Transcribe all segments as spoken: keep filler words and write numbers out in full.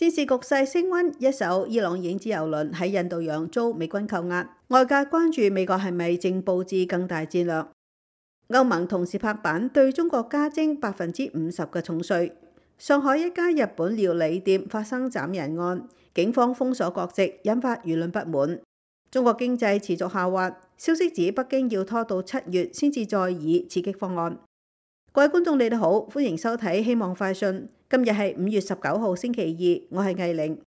戰事局勢升溫，一艘伊朗影子油輪喺印度洋遭美軍扣押，外界關注美國係咪正佈置更大戰略。歐盟同時拍板對中國加徵百分之五十嘅重稅。上海一家日本料理店發生斬人案，警方封鎖國籍，引發輿論不滿。中國經濟持續下滑，消息指北京要拖到七月先至再議刺激方案。各位觀眾，你哋好，歡迎收睇《希望快訊》。今日係五月十九號星期二，我係藝玲。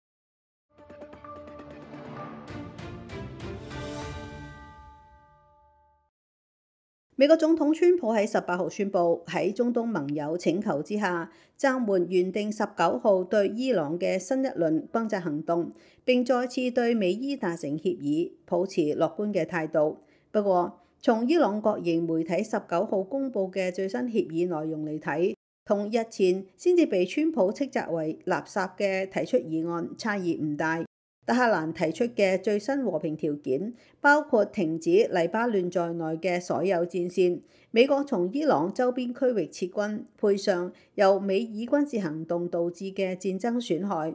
美國總統川普喺十八號宣布，喺中東盟友請求之下，暫緩原定十九號對伊朗嘅新一輪轟炸行動，並再次對美伊達成協議，抱持樂觀嘅態度。不過，從伊朗國營媒體十九號公佈嘅最新協議內容嚟睇，同日前先至被川普斥責為垃圾嘅提出議案差異唔大。德黑蘭提出嘅最新和平條件包括停止黎巴嫩在內嘅所有戰線，美國從伊朗周邊區域撤軍，配上由美以軍事行動導致嘅戰爭損害。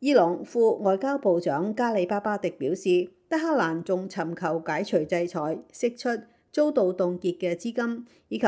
伊朗副外交部長加里巴巴迪表示，德黑蘭仲尋求解除制裁、釋出遭到凍結嘅資金，以及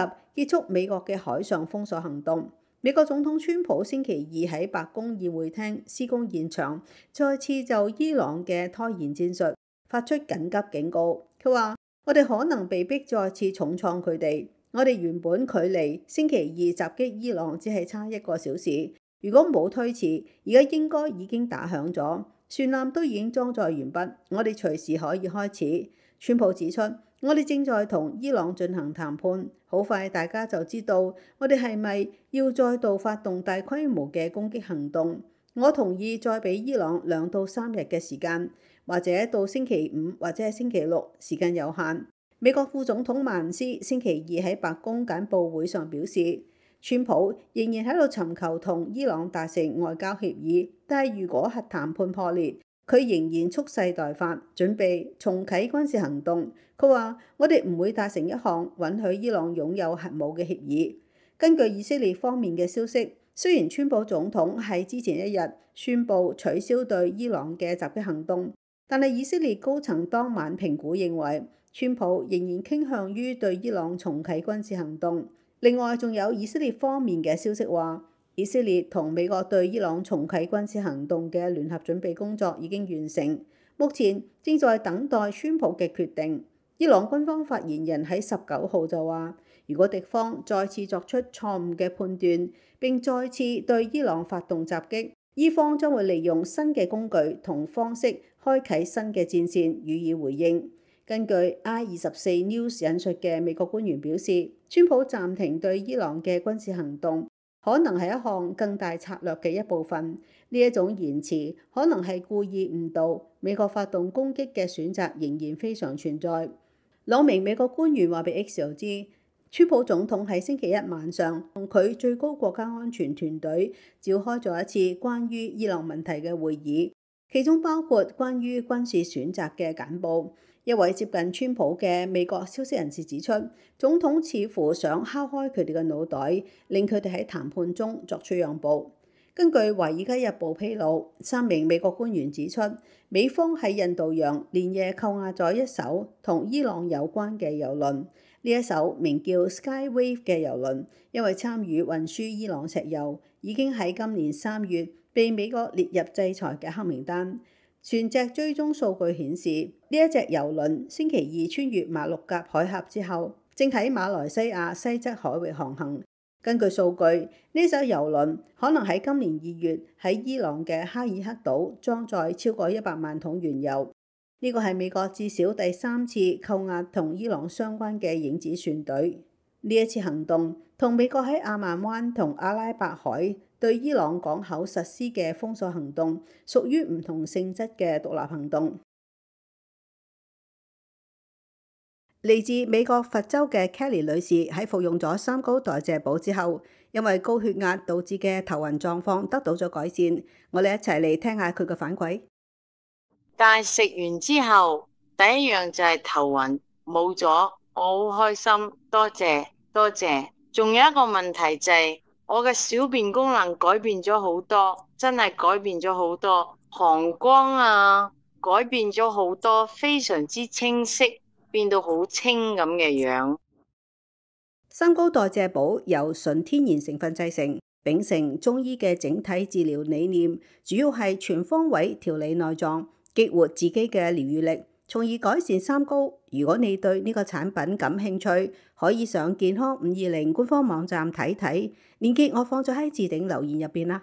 結束美國嘅海上封鎖行動。美國總統川普星期二喺白宮議會廳施工現場再次就伊朗嘅拖延戰術發出緊急警告。佢話：我哋可能被迫再次重創佢哋。我哋原本距離星期二襲擊伊朗只係差一個小時，如果冇推遲，而家應該已經打響咗，船艦都已經裝載完畢，我哋隨時可以開始。川普指出，我哋正在同伊朗進行談判，好快大家就知道我哋係咪要再度發動大規模嘅攻擊行動。我同意再俾伊朗兩到三日嘅時間，或者到星期五或者係星期六，時間有限。美國副總統曼斯星期二喺白宮簡報會上表示，川普仍然喺度尋求同伊朗達成外交協議，但係如果核談判破裂，佢仍然蓄勢待發，準備重啟軍事行動。佢話：我哋唔會達成一項允許伊朗擁有核武嘅協議。根據以色列方面嘅消息，雖然川普總統喺之前一日宣布取消對伊朗嘅襲擊行動，但係以色列高層當晚評估認為，川普仍然傾向於對伊朗重啟軍事行動。另外，仲有以色列方面嘅消息話，以色列同美國對伊朗重啟軍事行動嘅聯合準備工作已經完成，目前正在等待川普嘅決定。伊朗軍方發言人喺十九號就話，如果敵方再次作出錯誤嘅判斷，並再次對伊朗發動襲擊，伊方將會利用新嘅工具同方式開啟新嘅戰線予以回應。根據 I 二十四 News 引述嘅美國官員表示，川普暫停對伊朗嘅軍事行動可能係一項更大策略嘅一部分。呢一種言辭可能係故意誤導美國發動攻擊嘅選擇，仍然非常存在。兩名美國官員話俾 Axios 知，川普總統喺星期一晚上同佢最高國家安全團隊召開咗一次關於伊朗問題嘅會議，其中包括關於軍事選擇嘅簡報。一位接近川普嘅美國消息人士指出，總統似乎想敲開佢哋嘅腦袋，令佢哋喺談判中作出讓步。根據《華爾街日報》披露，三名美國官員指出，美方喺印度洋連夜扣押咗一艘同伊朗有關嘅油輪。呢一艘名叫 Skywave 嘅油輪，因為參與運輸伊朗石油，已經喺今年三月被美國列入制裁嘅黑名單。船隻追蹤數據顯示，呢一隻油輪星期二穿越馬六甲海峽之後，正喺馬來西亞西側海域航行。根據數據，呢艘油輪可能喺今年二月喺伊朗嘅哈爾克島裝載超過一百萬桶原油。呢個係美國至少第三次扣押同伊朗相關嘅影子船隊。呢一次行動同美國喺阿曼灣同阿拉伯海對伊朗港口實施嘅封鎖行動屬於唔同性質嘅獨立行動。嚟自美國佛州嘅 Kelly 女士喺服用咗三高代謝補之後，因為高血壓導致嘅頭暈狀況得到咗改善。我哋一齊嚟聽下佢嘅反饋。但係食完之後，第一樣就係頭暈冇咗，我好開心，多謝多謝。仲有一個問題就係我嘅小便功能改變咗好多，真係改變咗好多，膀胱啊改變咗好多，非常之清晰，變到好清咁嘅樣。三高代謝寶由純天然成分製成，秉承中醫嘅整體治療理念，主要係全方位調理內臟，激活自己嘅療愈力，從而改善三高。如果你對呢個產品感興趣，可以上健康五二零官方網站睇睇，鏈接我放咗喺置頂留言入邊啦。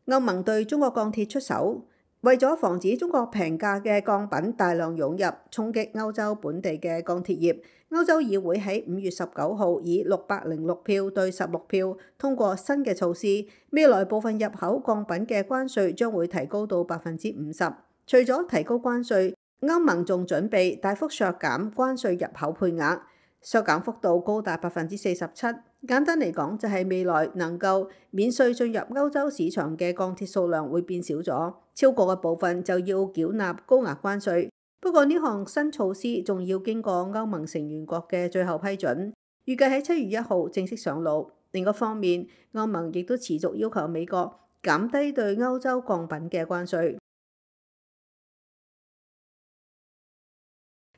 歐盟對中國鋼鐵出手，為咗防止中國平價嘅鋼品大量湧入，衝擊歐洲本地嘅鋼鐵業，歐洲議會喺五月十九號以六百零六票對十六票通過新嘅措施，未來部分入口鋼品嘅關稅將會提高到百分之五十。除咗提高關稅，歐盟仲準備大幅削減關稅入口配額，削減幅度高達百分之四十七。簡單嚟講，就係未來能夠免稅進入歐洲市場嘅鋼鐵數量會變少咗，超過嘅部分就要繳納高額關稅。不過呢項新措施仲要經過歐盟成員國嘅最後批准，預計喺七月一號正式上路。另一方面，歐盟亦都持續要求美國減低對歐洲鋼品嘅關稅。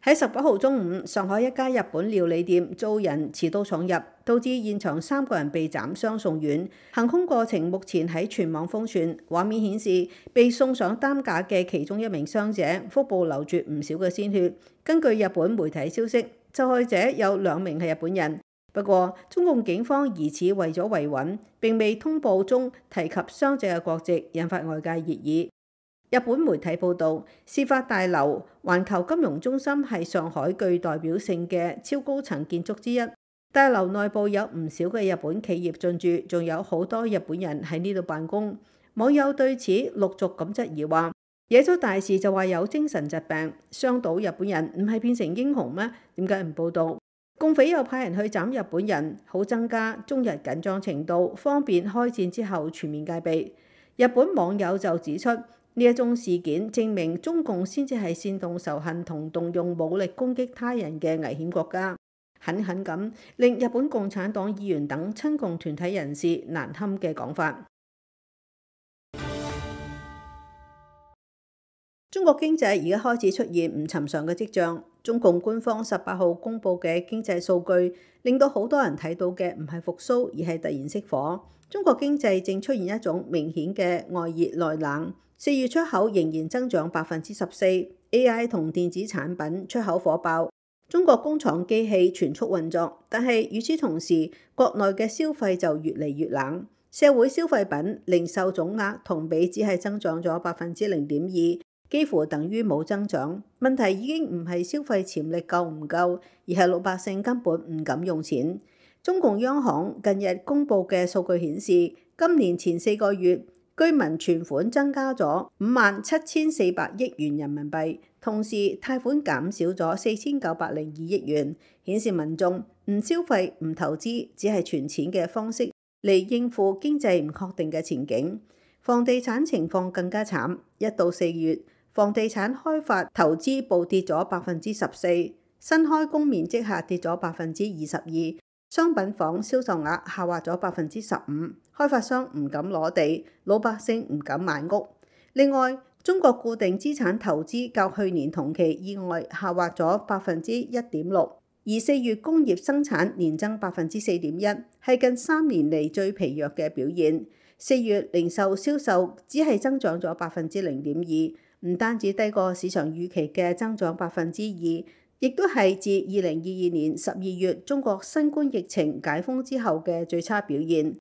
喺十九號中午，上海一家日本料理店遭人持刀闖入，導致現場三個人被斬傷送院。行兇過程目前喺全網瘋傳，畫面顯示被送上擔架嘅其中一名傷者腹部流住唔少嘅鮮血。根據日本媒體消息，受害者有兩名係日本人，不過中共警方疑似為咗維穩，並未通報中提及傷者嘅國籍，引發外界熱議。日本媒體報導，事發大樓環球金融中心係上海具代表性嘅超高層建築之一。大樓內部有唔少嘅日本企業進駐，仲有好多日本人喺呢度辦公。網友對此陸續咁質疑話：惹咗大事就話有精神疾病，傷到日本人唔係變成英雄咩？點解唔報導？共匪又派人去斬日本人，好增加中日緊張程度，方便開戰之後全面戒備。日本網友就指出，呢一宗事件證明中共先至係煽動仇恨同動用武力攻擊他人嘅危險國家，狠狠咁令日本共產黨議員等親共團體人士難堪嘅講法。中國經濟而家開始出現唔尋常嘅跡象。中共官方十八號公佈嘅經濟數據，令到好多人睇到嘅唔係復甦，而係突然熄火。中國經濟正出現一種明顯嘅外熱內冷。四月出口仍然增長百分之十四 ，A I 同電子產品出口火爆，中國工廠機器全速運作。但係與此同時，國內嘅消費就越嚟越冷，社會消費品零售總額同比只係增長咗百分之零點二，幾乎等於冇增長。問題已經唔係消費潛力夠唔夠，而係老百姓根本唔敢用錢。中共央行近日公布嘅數據顯示，今年前四個月，居民存款增加咗五萬七千四百億元人民幣，同時貸款減少咗四千九百零二億元，顯示民眾唔消費、唔投資，只係存錢嘅方式嚟應付經濟唔確定嘅前景。房地產情況更加慘，一到四月，房地產開發投資暴跌咗百分之十四，新開工面積下跌咗百分之二十二。商品房銷售額下滑咗百分之十五，開發商唔敢攞地，老百姓唔敢買屋。另外，中國固定資產投資較去年同期意外下滑咗百分之一點六，而四月工業生產年增百分之四點一，係近三年嚟最疲弱嘅表現。四月零售銷售只係增長咗百分之零點二，唔單止低過市場預期嘅增長百分之二。亦都係自二零二二年十二月中國新冠疫情解封之後嘅最差表現。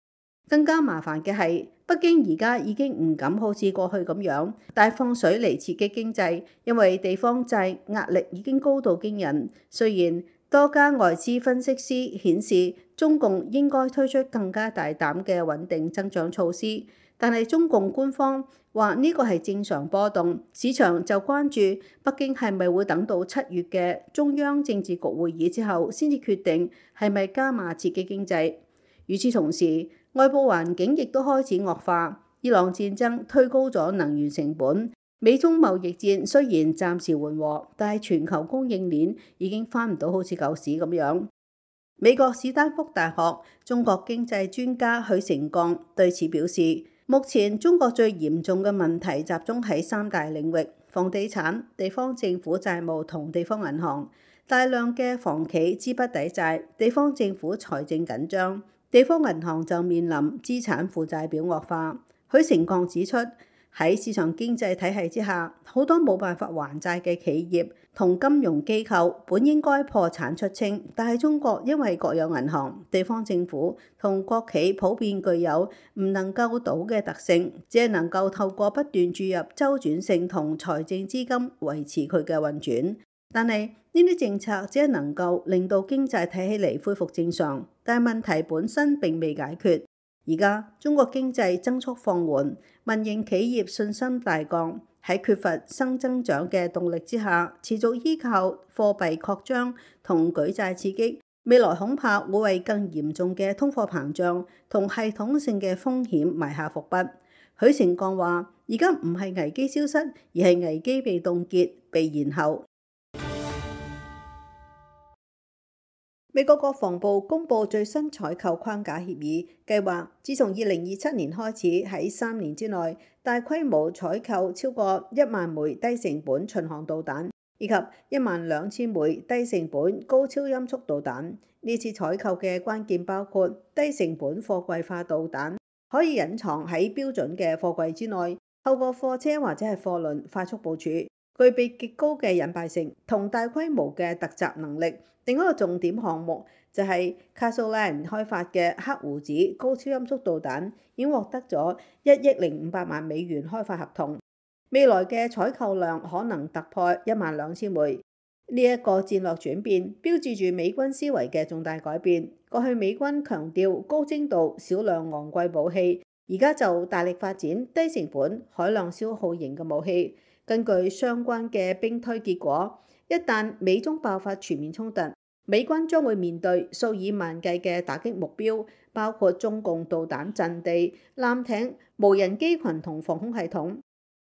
更加麻煩嘅係，北京而家已經唔敢好似過去咁樣大放水嚟刺激經濟，因為地方債壓力已經高到驚人。雖然多家外資分析師顯示中共應該推出更加大膽嘅穩定增長措施，但係中共官方話呢個係正常波動，市場就關注北京係咪會等到七月嘅中央政治局會議之後先至決定係咪加碼刺激經濟。與此同時，外部環境亦都開始惡化，伊朗戰爭推高咗能源成本，美中貿易戰雖然暫時緩和，但係全球供應鏈已經翻唔到好似舊時咁樣。美國史丹福大學中國經濟專家許成鋼對此表示，目前中國最嚴重嘅問題集中喺三大領域：房地產、地方政府債務同地方銀行。大量嘅房企資不抵債，地方政府財政緊張，地方銀行就面臨資產負債表惡化。許成鋼指出，喺市場經濟體系之下，好多冇辦法還債嘅企業同金融機構本應該破產出清，但係中國因為國有銀行、地方政府同國企普遍具有唔能夠倒嘅特性，只係能夠透過不斷注入周轉性同財政資金維持佢嘅運轉。但係呢啲政策只係能夠令到經濟睇起嚟恢復正常，但係問題本身並未解決。而家中國經濟增速放緩，民營企業信心大降，喺缺乏新增長嘅動力之下，持續依靠貨幣擴張同舉債刺激，未來恐怕會為更嚴重嘅通貨膨脹同系統性嘅風險埋下伏筆。許成鋼話：而家唔係危機消失，而係危機被凍結、被延後。美國國防部公布最新採購框架協議計劃，自從二零二七年開始，喺三年之內大規模採購超過一萬枚低成本巡航導彈，以及一萬兩千枚低成本高超音速導彈。呢次採購嘅關鍵包括低成本貨櫃化導彈，可以隱藏喺標準嘅貨櫃之內，透過貨車或者係貨輪快速部署，具備極高嘅隱蔽性同大規模嘅突襲能力。另一個重點項目就係 Castleland 開發嘅黑胡子高超音速導彈，已經獲得咗一億零五百萬美元開發合同。未來嘅採購量可能突破一萬兩千枚。呢一個戰略轉變，標誌住美軍思維嘅重大改變。過去美軍強調高精度、少量昂貴武器，而家就大力發展低成本、海量消耗型嘅武器。根據相關嘅兵推結果，一旦美中爆發全面衝突，美軍將會面對數以萬計嘅打擊目標，包括中共導彈陣地、艦艇、無人機群同防空系統。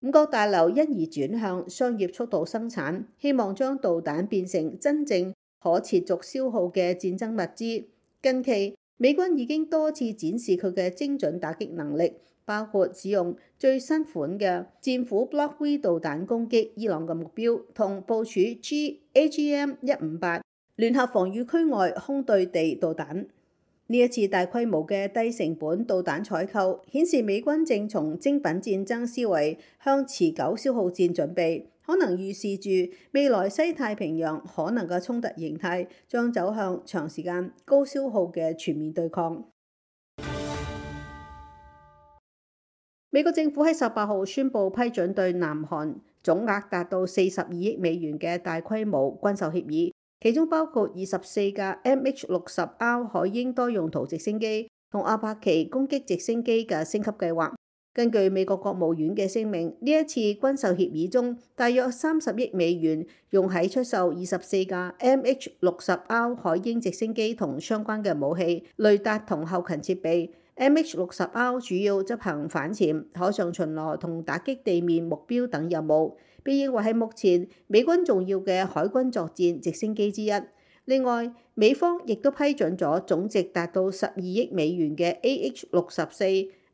五角大樓因而轉向商業速度生產，希望將導彈變成真正可持續消耗嘅戰爭物資。近期，美軍已經多次展示佢嘅精準打擊能力，包括使用最新款嘅戰斧 Block V 導彈攻擊伊朗嘅目標，同部署 G A G M 一五八聯合防禦區外空對地導彈。呢一次大規模嘅低成本導彈採購，顯示美軍正從精品戰爭思維向持久消耗戰準備，可能預示住未來西太平洋可能嘅衝突形態將走向長時間高消耗嘅全面對抗。美國政府喺十八號宣布批准對南韓總額達到四十二億美元嘅大規模軍售協議。其中包括二十四架 M H 六十 R 海鷹多用途直升機同阿帕奇攻擊直升機嘅升級計劃。根據美國國務院嘅聲明，呢一次軍售協議中，大約三十億美元用喺出售二十四架 M H 六十 R 海鷹直升機同相關嘅武器、雷達同後勤設備。M H 六十 R 主要執行反潛、海上巡邏同打擊地面目標等任務，被認為係目前美軍重要嘅海軍作戰直升機之一。另外，美方亦都批准咗總值達到十二億美元嘅 A H 六十四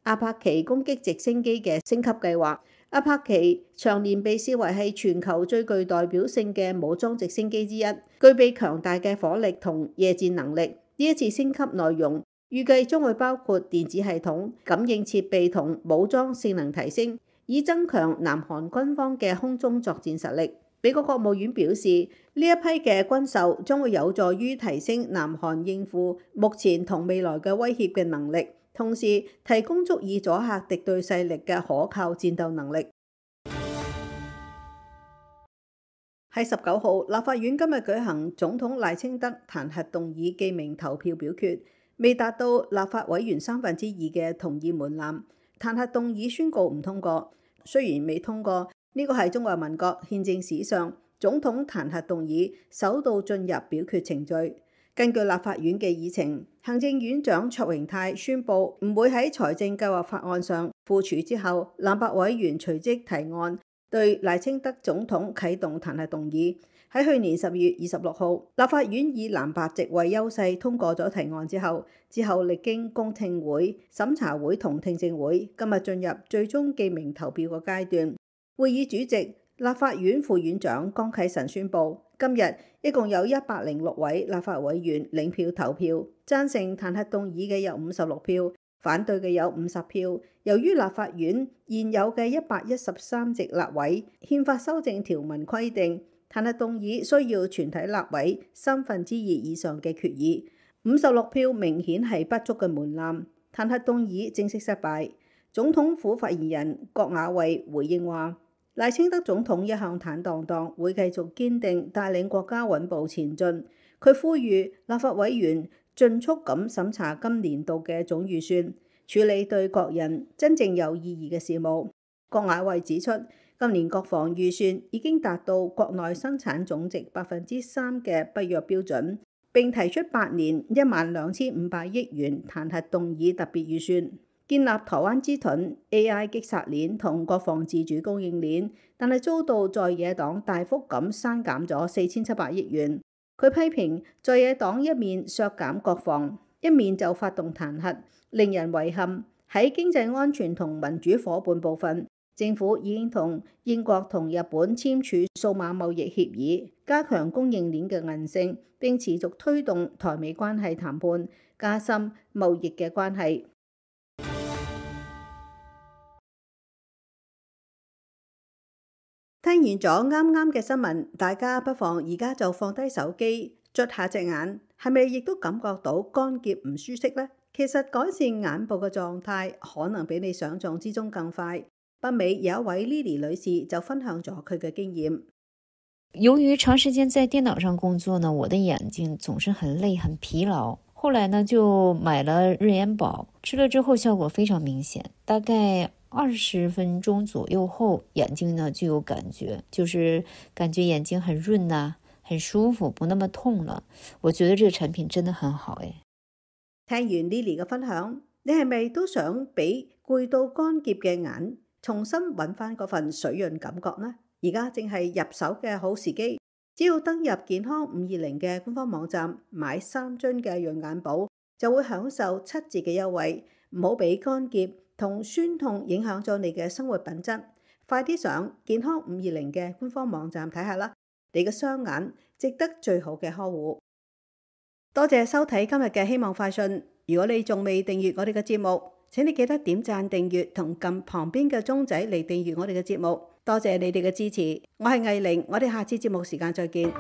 阿帕奇攻擊直升機嘅升級計劃。阿帕奇長年被視為係全球最具代表性嘅武裝直升機之一，具備強大嘅火力同夜戰能力。呢一次升級內容預計將會包括電子系統、感應設備同武裝性能提升，以增強南韓軍方嘅空中作戰實力。美國國務院表示，呢一批嘅軍售將會有助於提升南韓應付目前同未來嘅威脅嘅能力，同時提供足以阻嚇敵對勢力嘅可靠戰鬥能力。喺十九號，立法院今日舉行總統賴清德彈劾動議記名投票表決，未達到立法委員三分之二嘅同意門檻，彈劾動議宣告唔通過。雖然未通過，呢個係中華民國憲政史上總統彈劾動議首度進入表決程序。根據立法院嘅議程，行政院長卓榮泰宣布唔會喺財政計劃法案上附署之後，藍白委員隨即提案對賴清德總統啟動彈劾動議。喺去年十二月二十六號，立法院以藍白席位優勢通過咗提案之後，之後歷經公聽會、審查會同聽證會，今日進入最終記名投票嘅階段。會議主席、立法院副院長江啟臣宣布，今日一共有一百零六位立法委員領票投票，贊成彈劾動議嘅有五十六票，反對嘅有五十票。由於立法院現有嘅一百一十三席立委憲法修正條文規定，彈劾動議需要全體立委三分之二以上嘅決議，五十六票明顯係不足嘅門檻，彈劾動議正式失敗。總統府發言人郭雅慧回應話，賴清德總統一向坦蕩蕩，會繼續堅定帶領國家穩步前進。佢呼籲立法委員盡速咁審查今年度嘅總預算，處理對國人真正有意義嘅事務。郭雅慧指出，今年國防預算已經達到國內生產總值百分之三嘅北約標準，並提出八年一萬兩千五百億元彈劾動議特別預算，建立台灣之盾、A I 擊殺鏈同國防自主供應鏈，但係遭到在野黨大幅咁刪減咗四千七百億元。佢批評在野黨一面削減國防，一面就發動彈劾，令人遺憾。喺經濟安全同民主夥伴部分，政府已經同英國同日本簽署數碼貿易協議，加強供應鏈嘅韌性，並持續推動台美關係談判，加深貿易嘅關係。聽完咗啱啱嘅新聞，大家不妨而家就放低手機，捽下隻眼，係咪亦都感覺到乾澀唔舒適呢？其實改善眼部嘅狀態可能比你想象之中更快。北美有一位 Lily 女士就分享咗佢嘅經驗。由於長時間在電腦上工作呢，我的眼睛總是很累很疲勞。後來呢就買了日眼寶，吃了之後效果非常明顯，大概二十分鐘左右後，眼睛呢就有感覺，就是感覺眼睛很潤啊，很舒服，不那麼痛了。我覺得這個產品真的很好誒。聽完 Lily 嘅分享，你係咪都想俾攰到乾澀嘅眼重新揾翻嗰份水潤感覺呢？而家正係入手嘅好時機，只要登入健康五二零嘅官方網站買三樽嘅潤眼寶，就會享受七折嘅優惠。唔好俾乾澀同酸痛影響咗你嘅生活品質。快啲上健康五二零嘅官方網站睇下啦，你嘅雙眼值得最好嘅呵護。多謝收睇今日嘅希望快訊。如果你仲未訂閱我哋嘅節目，請你記得點讚訂閱同撳旁邊嘅鐘仔嚟訂閱我哋嘅節目。多謝你哋嘅支持，我係藝玲，我哋下次節目時間再見。